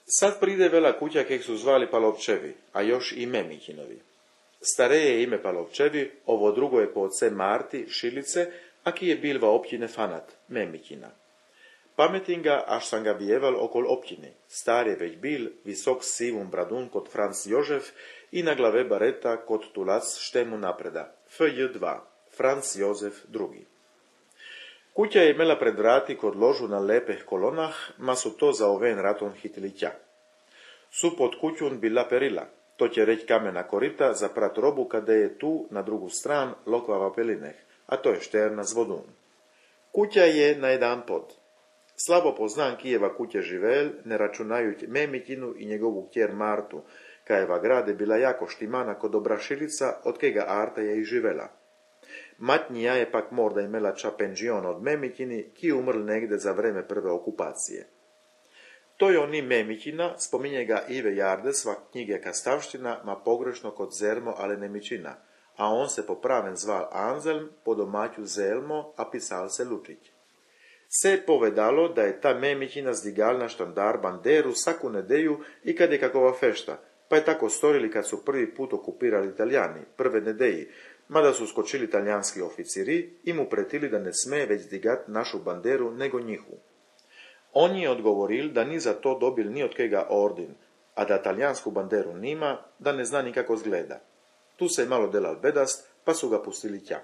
Sad pride vela kuća kek su zvali Palovčevi, a još i Memikinovi. Stareje ime Palovčevi, ovo drugo je po oce Marti, Šilice, a ki je bilva općine Fanat, Memikina. Pametim ga, až sam ga vijeval okol općine. Star je već bil, visok sivum bradun kod Franc Jožef i na glave bareta kod tulac štemu napreda, FJ2, Franc Jozef II. Kuća je imela pred vrati kod ložu na lepeh kolonah, ma su to za oven raton hitili ća. Su pod kućun bila perila, to će reć kamena korita za prat robu kada je tu na drugu stran lokvava pelineh, a to je šterna z vodun. Kuća je na jedan pod. Slabo poznan Kijeva kuće živel, ne računajuć Memikinu i njegovu kjer Martu, kajeva grade bila jako štimana kod Obrašilica, od kega Arta je i živela. Matnija je pak morda imela ča penžion od Memikini, ki umrl negde za vreme prve okupacije. To je oni Memikina, spominje ga Ive Jarde, sva knjige Kastavština, ma pogrešno kod Zermo, ale Nemičina, a on se popraven zval Anzelm, po domaću Zelmo, a pisal se Lučić. Se je povedalo da je ta Memikina zdigal na štandar banderu svaku nedeju i kad je kakova fešta, pa je tako storili kad su prvi put okupirali Italijani, prve nedeji, mada su skočili talijanski oficiri i mu pretili da ne sme već zdigat našu banderu nego njihu. On je odgovoril da ni za to dobil ni od kega ordin, a da talijansku banderu nima, da ne zna nikako zgleda. Tu se je malo delal bedast, pa su ga pustili ća.